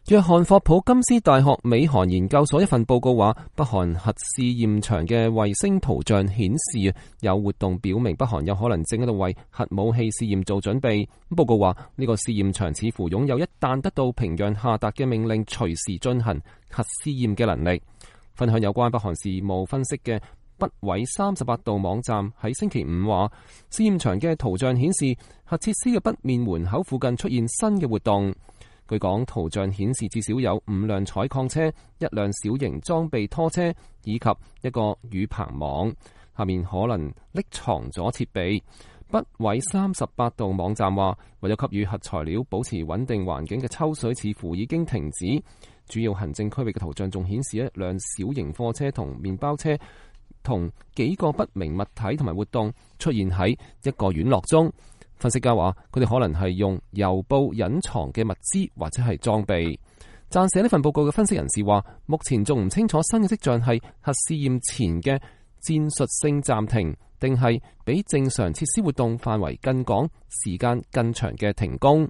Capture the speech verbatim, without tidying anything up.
約翰霍普金斯大學美韓研究所一份報告話，北韓核試驗場嘅衛星圖像顯示有活動，表明北韓有可能正喺度為核武器試驗做準備。報告話呢個試驗場似乎擁有一旦得到平壤下達嘅命令，隨時進行核試驗嘅能力。分享有關北韓事務分析嘅北緯三十八度網站喺星期五話，試驗場嘅圖像顯示核設施嘅北面門口附近出現新嘅活動。據講，圖像顯示至少有五輛採礦車、一輛小型裝備拖車以及一個雨棚網，下面可能匿藏咗設備。北緯三十八度網站話，為咗給予核材料保持穩定環境嘅抽水似乎已經停止。主要行政區域嘅圖像仲顯示一輛小型貨車同麵包車同幾個不明物體同埋活動出現喺一個院落中。分析家話，佢哋可能係用郵報隱藏嘅物資或者係裝備。撰寫呢份報告嘅分析人士話，目前仲唔清楚新嘅跡象係核試驗前嘅戰術性暫停，定係比正常設施活動範圍更廣、時間更長嘅停工。